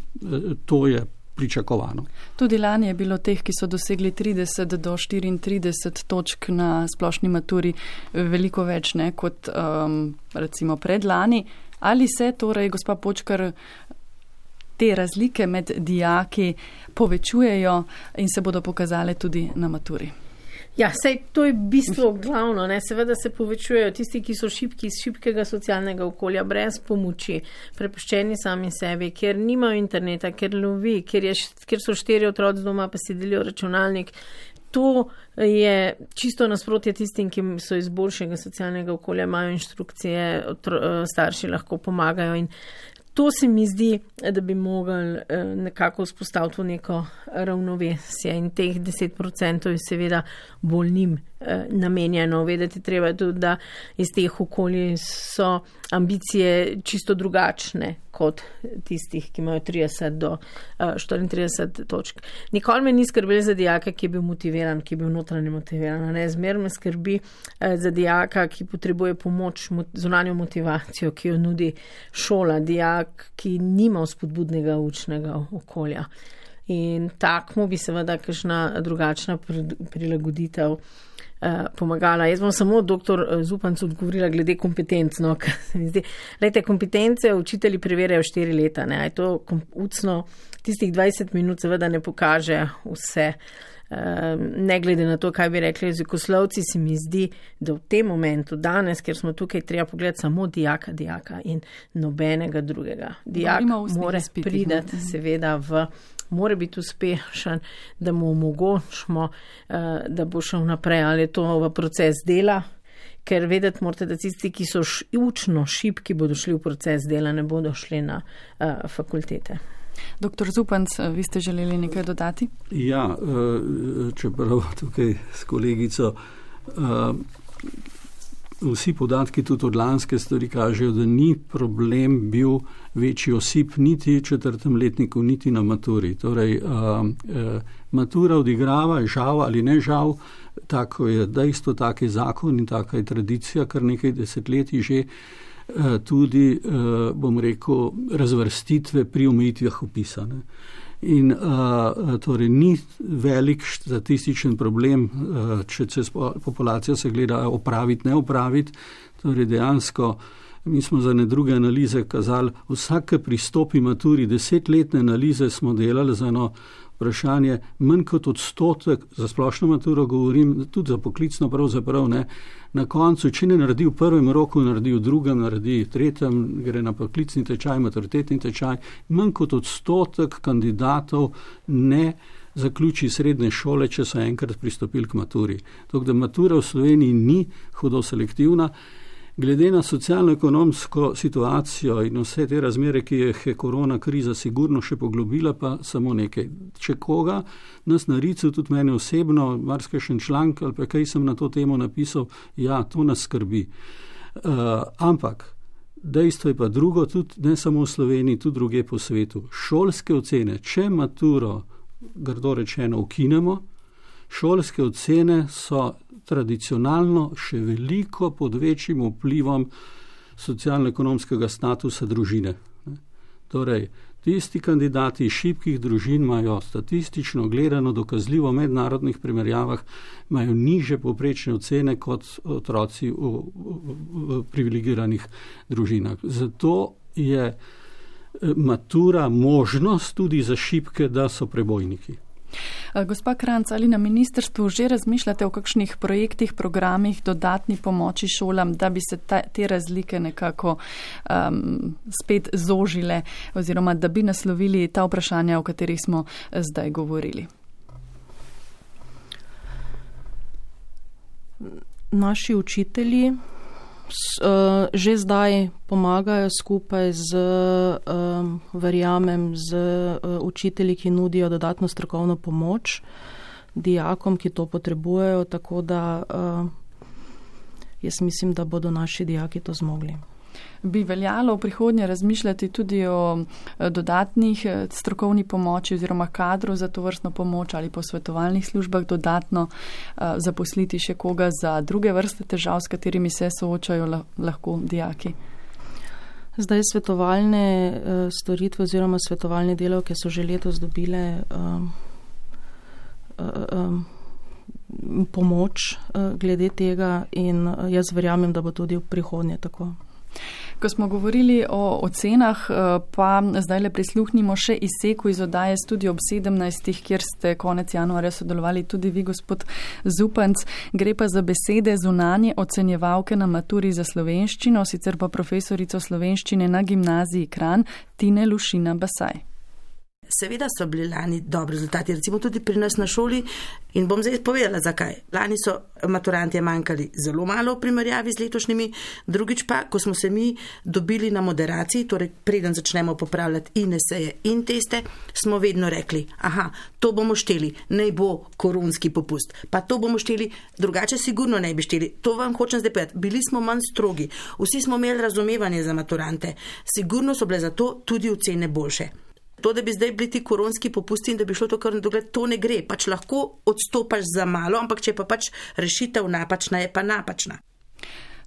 Speaker 4: to je pričakovano.
Speaker 2: Tudi lani je bilo teh, ki so dosegli 30 do 34 točk na splošni maturi, veliko več ne, kot recimo predlani. Ali se torej, gospa Počkar, te razlike med dijaki povečujejo in se bodo pokazale tudi na maturi?
Speaker 1: Ja, sej to je bistvo glavno, ne. Seveda se povečujejo tisti, ki so šibki iz šibkega socialnega okolja, brez pomoči, prepuščeni sami sebi, ker nimajo interneta, ker lovi, ker so 4 otroci doma, pa si delijo računalnik. To je čisto nasprotje tistim, ki so iz boljšega socialnega okolja, imajo inštrukcije, starši lahko pomagajo in to se mi zdi, da bi mogli nekako vzpostaviti neko ravnovesje in teh 10% je seveda bolj njim namenjeno. Vedeti treba tudi, da iz teh okolij so ambicije čisto drugačne kot tistih, ki imajo 30 do 34 točk. Nikoli me ni skrbelo za dijaka, ki je bil motiviran, ki je bil notranje motiviran. Zmer me skrbi za dijaka, ki potrebuje pomoč, zunanjo motivacijo, ki jo nudi šola, dijak, ki nima spodbudnega učnega okolja. In takmu bi seveda kakšna drugačna prilagoditev pomagala. Jaz bom samo doktor Zupanc odgovorila glede kompetenc. No, Lejte, kompetence učitelji preverjajo 4 leta. Ne? Je to ucno, tistih 20 minut seveda ne pokaže vse. Ne glede na to, kaj bi rekli jezikoslovci, se mi zdi, da v tem momentu, danes, ker smo tukaj, treba pogledati samo dijaka in nobenega drugega. Dijak mora pridati seveda mora biti uspešen, da mu omogočimo, da bo šel naprej, ali je to v proces dela, ker vedeti morate, da tisti, ki so učno šibki, bodo šli v proces dela, ne bodo šli na fakultete.
Speaker 2: Doktor Zupanc, vi ste želeli nekaj dodati?
Speaker 4: Ja, čeprav tukaj s kolegico, vsi podatki tudi od lanske stvari kažejo, da ni problem bil večji osip niti v 4. letniku, niti na maturi. Torej, matura odigrava, žal ali ne žal, tako je dejstvo, tak je zakon in taka je tradicija, kar nekaj desetletij že, tudi, bom rekel, razvrstitve pri omejitvah opisane. In torej ni velik statističen problem, če se populacija se gleda opraviti, ne opraviti. Torej dejansko mi smo za ne druge analize kazali, vsake pristopi maturi, 10-letne analize smo delali za eno vprašanje, manj kot odstotek, za splošno maturo govorim, tudi za poklicno pravzaprav ne, na koncu, če ne naredi v prvem roku, naredi v drugem, naredi v tretjem, gre na poklicni tečaj, maturitetni tečaj, manj kot odstotek kandidatov ne zaključi srednje šole, če so enkrat pristopili k maturi. Tako da matura v Sloveniji ni hudo selektivna. Glede na socialno-ekonomsko situacijo in vse te razmere, ki je korona kriza sigurno še poglobila, pa samo nekaj. Če koga nas na Ricu, tudi mene osebno, marsikajšen članek ali pa kaj sem na to temo napisal, ja, to nas skrbi. Ampak dejstvo je pa drugo, tudi ne samo v Sloveniji, tudi druge po svetu. Šolske ocene, če maturo, grdo rečeno, ukinemo, šolske ocene so tradicionalno še veliko pod večjim vplivom socialno-ekonomskega statusa družine. Torej, tisti kandidati iz šibkih družin imajo statistično gledano dokazljivo v mednarodnih primerjavah, imajo nižje povprečne ocene kot otroci v privilegiranih družinah. Zato je matura možnost tudi za šibke, da so prebojniki.
Speaker 2: Gospa Kranjc, ali na ministrstvu že razmišljate o kakšnih projektih, programih, dodatni pomoči šolam, da bi se te razlike nekako spet zožile oziroma da bi naslovili ta vprašanja, o katerih smo zdaj govorili?
Speaker 3: Naši učitelji že zdaj pomagajo skupaj z, verjamem, z učitelji, ki nudijo dodatno strokovno pomoč dijakom, ki to potrebujejo, tako da jaz mislim, da bodo naši dijaki to zmogli.
Speaker 2: Bi veljalo v prihodnje razmišljati tudi o dodatnih strokovni pomoči oziroma kadru za to vrstno pomoč ali posvetovalnih službah dodatno zaposliti še koga za druge vrste težav, s katerimi se soočajo lahko dijaki?
Speaker 3: Zdaj svetovalne storitve oziroma svetovalne delavke so že letos dobile pomoč glede tega in jaz verjamem, da bo tudi v prihodnje tako.
Speaker 2: Ko smo govorili o ocenah, pa zdaj le prisluhnimo še izseku iz oddaje Studio ob 17, kjer ste konec januarja sodelovali tudi vi, gospod Zupanc. Gre pa za besede zunanje ocenjevalke na maturi za slovenščino, sicer pa profesorico slovenščine na gimnaziji Kranj, Tine Lušina Basaj.
Speaker 8: Seveda so bili lani dobri rezultati, recimo tudi pri nas na šoli in bom zdaj povedala, zakaj. Lani so maturantje manjkali zelo malo v primerjavi z letošnjimi, drugič pa, ko smo se mi dobili na moderaciji, torej preden začnemo popravljati in eseje in teste, smo vedno rekli, aha, to bomo šteli, naj bo koronski popust, pa to bomo šteli, drugače sigurno ne bi šteli. To vam hočem zdaj povedati, bili smo manj strogi, vsi smo imeli razumevanje za maturante, sigurno so bile zato tudi ocene boljše. To, da bi zdaj bili ti koronski popusti in da bi šlo to kar na dogled, to ne gre. Pač lahko odstopaš za malo, ampak če pa pač rešitev napačna, je pa napačna.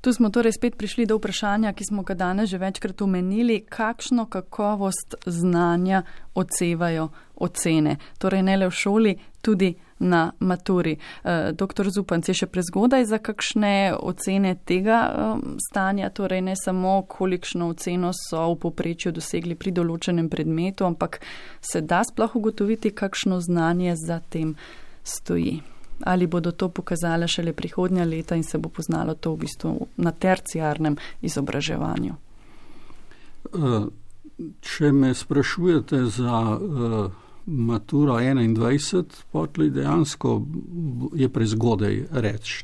Speaker 2: Tu smo torej spet prišli do vprašanja, ki smo ga danes že večkrat omenili, kakšno kakovost znanja odsevajo ocene. Torej ne le v šoli, tudi na maturi. Doktor Zupanc, je še prezgodaj za kakšne ocene tega stanja, torej ne samo kolikšno oceno so v povprečju dosegli pri določenem predmetu, ampak se da sploh ugotoviti, kakšno znanje za tem stoji. Ali bodo to pokazale šele prihodnja leta in se bo poznalo to v bistvu na terciarnem izobraževanju?
Speaker 4: Če me sprašujete za maturo 21, potlej dejansko je prezgodaj reči.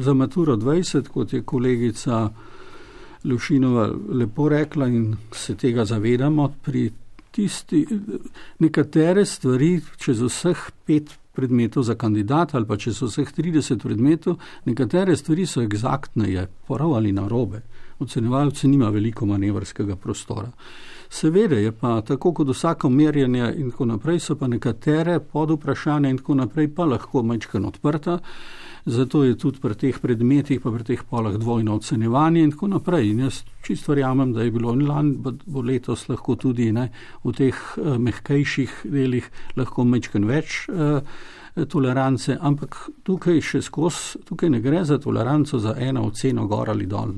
Speaker 4: Za maturo 20, kot je kolegica Lušinova lepo rekla in se tega zavedamo, pri nekatere stvari čez vseh 5 predmetov za kandidata ali pa čez vseh 30 predmetov, nekatere stvari so egzaktneje, prav ali narobe. Ocenjevalci nima veliko manevrskega prostora. Seveda je pa tako kot vsako merjenje in tako naprej, so pa nekatere podvprašanja in tako naprej pa lahko majčkeno odprta, zato je tudi pri teh predmetih pa pri teh polah dvojno ocenjevanje in tako naprej. In jaz čisto verjamem, da je bilo lani, bo letos lahko tudi v teh mehkejših delih lahko majčkeno več tolerance, ampak tukaj še tukaj ne gre za toleranco za eno oceno gor ali dol.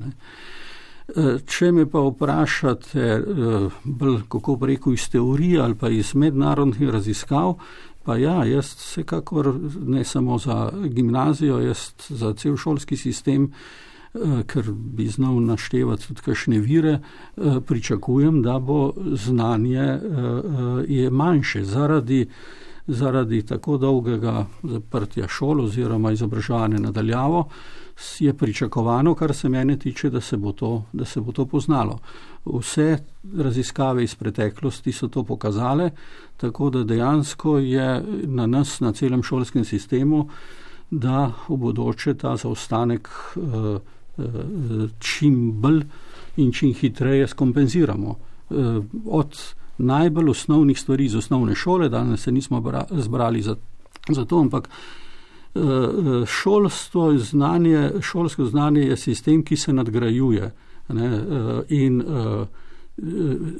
Speaker 4: Če me pa vprašate, kako bi rekel, iz teorije ali pa iz mednarodnih raziskav, pa ja, jaz vsekakor ne samo za gimnazijo, jaz za cel šolski sistem, ker bi znal naštevati tudi kakšne vire, pričakujem, da bo znanje je manjše zaradi tako dolgega zaprtja šol oziroma izobraževanja nadaljavo, je pričakovano, kar se mene tiče, da se bo to poznalo. Vse raziskave iz preteklosti so to pokazale, tako da dejansko je na nas, na celem šolskem sistemu, da v bodoče ta zaostanek čim bolj in čim hitreje skompenziramo. Od najbolj osnovnih stvari iz osnovne šole, danes se nismo zbrali za to, ampak šolsko znanje je sistem, ki se nadgrajuje, in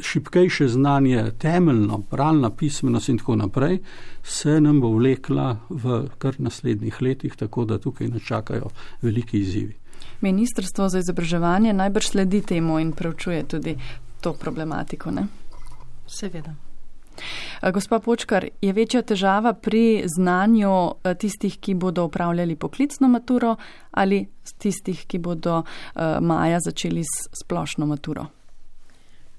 Speaker 4: šibkejše znanje, temeljno, bralna pismenost in tako naprej, se nam bo vlekla v kar naslednjih letih, tako da tukaj nas čakajo veliki izzivi.
Speaker 2: Ministrstvo za izobraževanje najbrž sledi temu in preučuje tudi to problematiko, ne?
Speaker 3: Seveda.
Speaker 2: Gospa Počkar, je večja težava pri znanju tistih, ki bodo upravljali poklicno maturo ali tistih, ki bodo maja začeli s splošno maturo?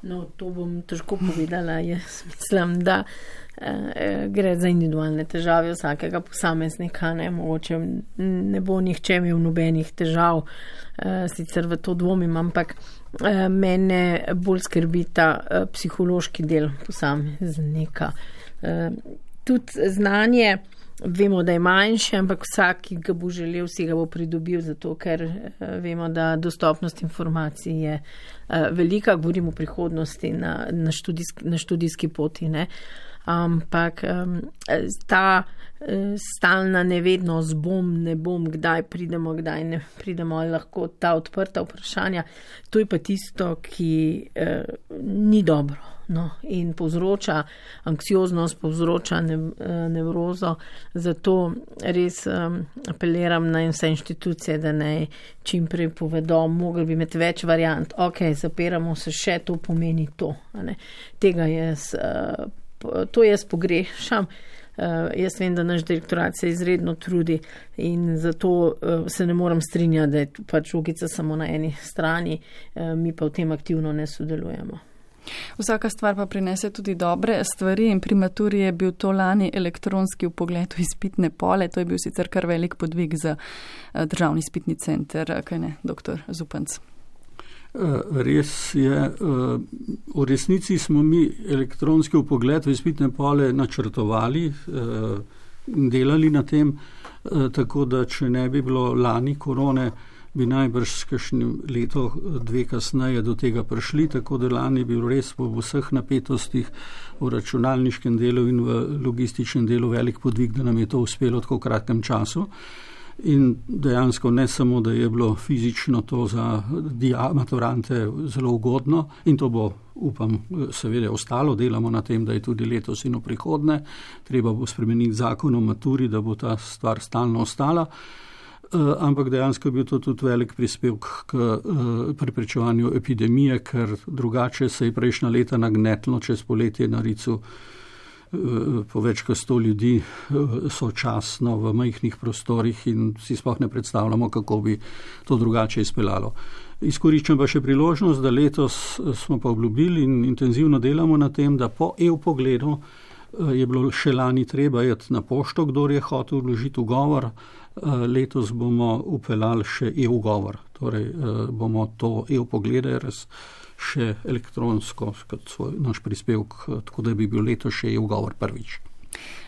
Speaker 1: No, to bom težko povedala. Jaz mislim, da gre za individualne težave vsakega posameznika. Mogoče ne bo nihče imel nobenih težav, sicer v to dvomim, ampak mene bolj skrbi ta psihološki del posameznika. Tudi znanje, vemo, da je manjše, ampak vsak, ki ga bo želel, si ga bo pridobil, zato ker vemo, da dostopnost informacij je velika, govorimo o prihodnosti na študijski poti, ne. Ampak ta stalna nevednost, ne bom, kdaj pridemo, kdaj ne pridemo, ali lahko ta odprta vprašanja, to je pa tisto, ki ni dobro. No, in povzroča anksioznost, povzroča nevrozo, zato res apeliram na vse inštitucije, da naj čim prej povedo, mogli bi imeti več variant, zapiramo se, še to pomeni to. To jaz pogrešam. Jaz vem, da naš direktorat se izredno trudi in zato se ne moram strinjati, da je pač žogica samo na eni strani, mi pa v tem aktivno ne sodelujemo.
Speaker 2: Vsaka stvar pa prinese tudi dobre stvari in pri maturi je bil to lani elektronski vpogled v izpitne pole, to je bil sicer kar velik podvig za Državni izpitni center, kaj ne, doktor Zupanc?
Speaker 4: Res je, v resnici smo mi elektronski vpogled v izpitne pole načrtovali, delali na tem, tako da če ne bi bilo lani korone, bi najbrž s kakšnim leto, 2 kasneje do tega prišli, tako da lani bil res v vseh napetostih v računalniškem delu in v logističnem delu velik podvig, da nam je to uspelo v tako kratkem času. In dejansko ne samo, da je bilo fizično to za maturante zelo ugodno in to bo, upam, seveda ostalo, delamo na tem, da je tudi letos in v prihodnje, treba bo spremeniti zakon o maturi, da bo ta stvar stalno ostala. Ampak dejansko je bil to tudi velik prispevek k preprečevanju epidemije, ker drugače se je prejšnja leta nagnetlo čez poletje na Ricu po več kot 100 ljudi sočasno v majhnih prostorih in si sploh ne predstavljamo, kako bi to drugače izpeljalo. Izkoriščam pa še priložnost, da letos smo pa obljubili in intenzivno delamo na tem, da po e-vpogledu je bilo še lani treba iti na pošto, kdor je hotel vložiti ugovor. Letos bomo upeljali še e-ugovor, torej bomo to e-vpoglede še elektronsko kot naš prispevek, tako da bi bil letos še e-ugovor prvič.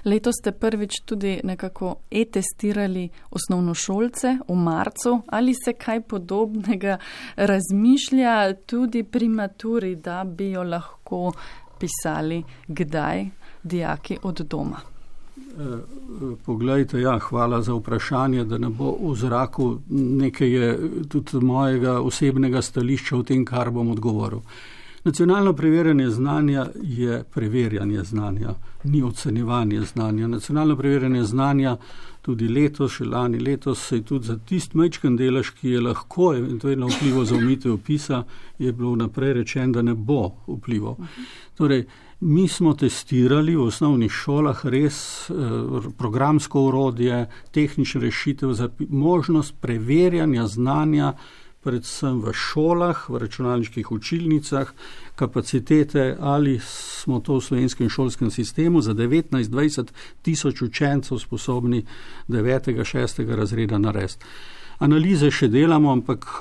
Speaker 2: Letos ste prvič tudi nekako e-testirali osnovnošolce v marcu. Ali se kaj podobnega razmišlja tudi pri maturi, da bi jo lahko pisali kdaj dijaki od doma?
Speaker 4: Poglejte, hvala za vprašanje, da ne bo v zraku, nekaj je tudi mojega osebnega stališča v tem, kar bom odgovoril. Nacionalno preverjanje znanja je preverjanje znanja, ni ocenjevanje znanja. Nacionalno preverjanje znanja tudi letos, še lani letos, se je tudi za tist majčken delež, ki je lahko eventualno vplival za omitev vpisa, je bilo naprej rečeno, da ne bo vplival. Torej, mi smo testirali v osnovnih šolah res programsko orodje, tehnične rešitev za možnost preverjanja znanja, predvsem v šolah, v računalniških učilnicah, kapacitete, ali smo to v slovenskem šolskem sistemu za 19-20 tisoč učencev sposobni 9. 6. razreda narediti. Analize še delamo, ampak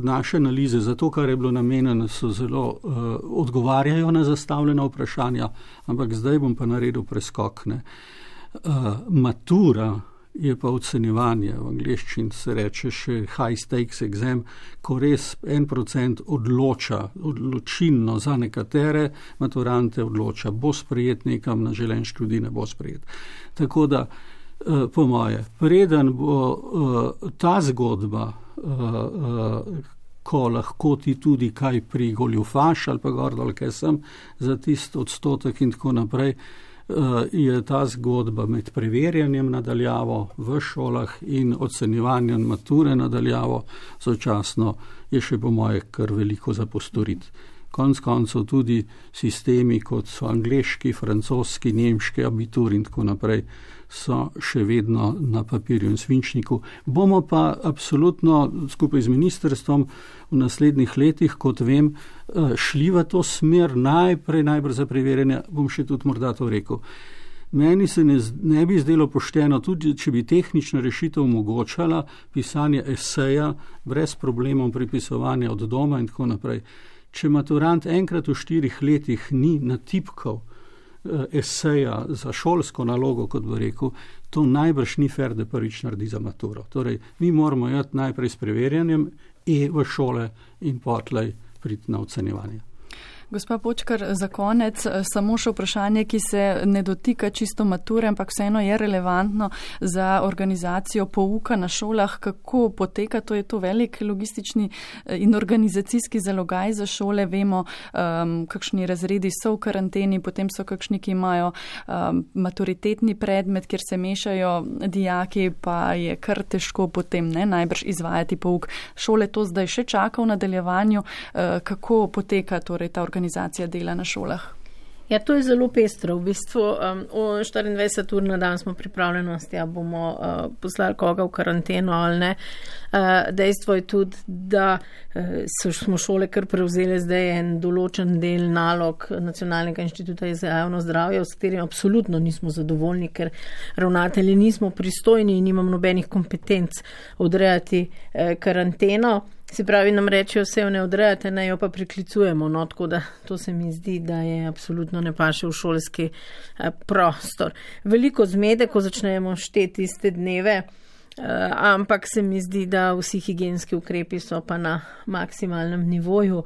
Speaker 4: naše analize za to, kar je bilo namenjeno, so zelo odgovarjajo na zastavljena vprašanja, ampak zdaj bom pa naredil preskok. Matura je pa ocenjevanje, v angleščini se reče še high stakes exam, ko res 1% odločilno za nekatere maturante odloča, bo sprejet nekam na želen študij, ne bo sprejet. Tako da po moje, preden bo ta zgodba, ko lahko ti tudi kaj prigoljufaš ali pa gor dol, kaj sem, za tist odstotek in tako naprej, je ta zgodba med preverjanjem nadaljavo v šolah in ocenjevanjem mature nadaljavo sočasno je še po moje kar veliko za postoriti. konec koncev tudi sistemi, kot so angleški, francoski, nemški, abitur in tako naprej, so še vedno na papirju in svinčniku. Bomo pa absolutno skupaj z ministrstvom v naslednjih letih, kot vem, šli v to smer najbrž za preverjanje, bom še tudi morda to rekel. Meni se ne bi zdelo pošteno, tudi če bi tehnična rešitev omogočala pisanje eseja brez problemov pripisovanja od doma in tako naprej. Če maturant enkrat v 4 letih ni natipkal eseja za šolsko nalogo, kot bi rekel, to najbrž ni fair, da prvič naredi za maturo. Torej, mi moramo jati najprej s preverjanjem v šole in potlej priti na ocenjevanje.
Speaker 2: Gospa Počkar, za konec samo še vprašanje, ki se ne dotika čisto mature, ampak vseeno je relevantno za organizacijo pouka na šolah. Kako poteka? To je to velik logistični in organizacijski zalogaj za šole. Vemo, kakšni razredi so v karanteni, potem so kakšni, ki imajo maturitetni predmet, kjer se mešajo dijaki, pa je kar težko potem najbrž izvajati pouk. Šole to zdaj še čaka v nadaljevanju. Kako poteka torej ta organizacija dela na šolah?
Speaker 1: Ja, to je zelo pestro. V bistvu 24 ur na dan smo pripravljenosti, a bomo poslali koga v karanteno ali ne. Dejstvo je tudi, da smo šole kar prevzeli zdaj en določen del nalog Nacionalnega inštituta za javno zdravje, s katerim absolutno nismo zadovoljni, ker ravnatelji nismo pristojni in nimamo nobenih kompetenc odrejati karanteno. Se pravi, nam rečejo, vse jo ne odrejate, ne jo pa priklicujemo, no, tako da to se mi zdi, da je absolutno ne paše v šolski prostor. Veliko zmede, ko začnemo šteti iste dneve, ampak se mi zdi, da vsi higienski ukrepi so pa na maksimalnem nivoju,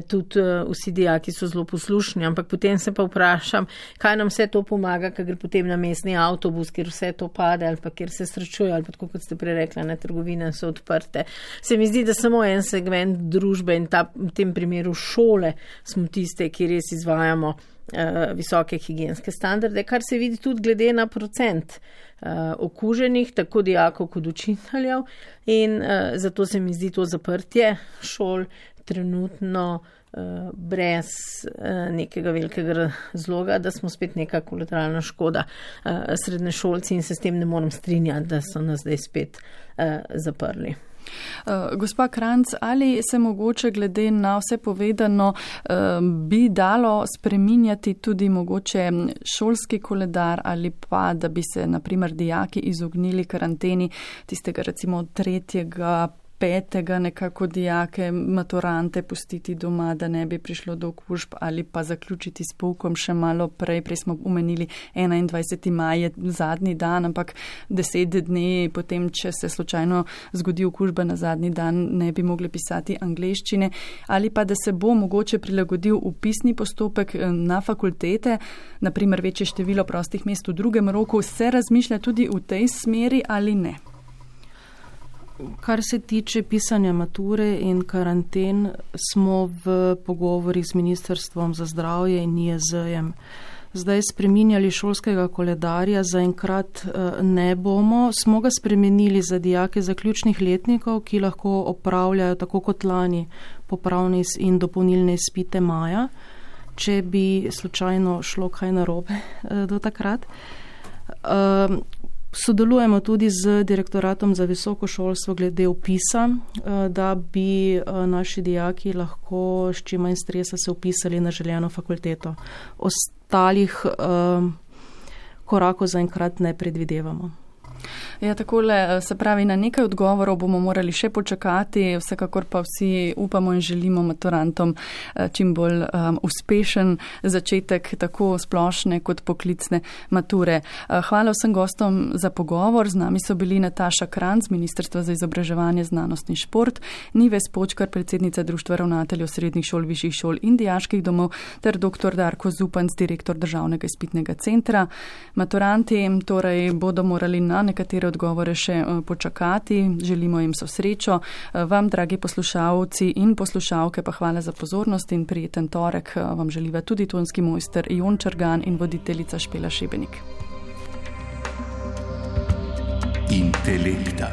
Speaker 1: tudi vsi dijaki so zelo poslušni, ampak potem se pa vprašam, kaj nam vse to pomaga, ker gre potem na mestni avtobus, kjer vse to pade ali pa kjer se srečuje, ali pa tako, kot ste prej rekla, trgovine so odprte. Se mi zdi, da samo en segment družbe in v tem primeru šole smo tiste, ki res izvajamo visoke higienske standarde, kar se vidi tudi glede na procent okuženih, tako dijakov kot učiteljev, in zato se mi zdi to zaprtje šol trenutno brez nekega velikega razloga, da smo spet neka kolateralna škoda srednješolci, in se s tem ne morem strinjati, da so nas zdaj spet zaprli.
Speaker 2: Gospa Kranjc, ali se mogoče glede na vse povedano bi dalo spreminjati tudi mogoče šolski koledar, ali pa da bi se na primer dijaki izognili karanteni tistega recimo 3., 5. nekako dijake, maturante pustiti doma, da ne bi prišlo do okužb, ali pa zaključiti s poukom še malo prej. Prej smo omenili 21. maj je zadnji dan, ampak 10 dni potem, če se slučajno zgodi okužba na zadnji dan, ne bi mogli pisati angleščine, ali pa da se bo mogoče prilagodil upisni postopek na fakultete, naprimer večje število prostih mest v drugem roku. Se razmišlja tudi v tej smeri ali ne?
Speaker 3: Kar se tiče pisanja mature in karanten, smo v pogovori z Ministrstvom za zdravje in NIJZ-jem zdaj spreminjali šolskega koledarja, zaenkrat ne bomo. Smo ga spremenili za dijake zaključnih letnikov, ki lahko opravljajo tako kot lani popravne in dopolnilne izpite maja, če bi slučajno šlo kaj narobe do takrat. Sodelujemo tudi z Direktoratom za visoko šolstvo glede vpisa, da bi naši dijaki lahko s čim manj stresa se vpisali na željeno fakulteto. Ostalih korakov zaenkrat ne predvidevamo.
Speaker 2: Ja, takole, se pravi, na nekaj odgovorov bomo morali še počakati, vsekakor pa vsi upamo in želimo maturantom čim bolj uspešen začetek tako splošne kot poklicne mature. Hvala vsem gostom za pogovor. Z nami so bili Nataša Kranjc, Ministrstva za izobraževanje, znanost in šport, Nives Počkar, predsednica Društva ravnateljev srednjih šol, višjih šol in dijaških domov, ter dr. Darko Zupanc, direktor Državnega izpitnega centra. Maturanti torej bodo morali na nekatere odgovore še počakati. Želimo jim so srečo. Vam, dragi poslušalci in poslušalke, pa hvala za pozornost in prijeten torek vam želiva tudi tonski mojster Jon Črgan in voditeljica Špela Šebenik. Intelekta.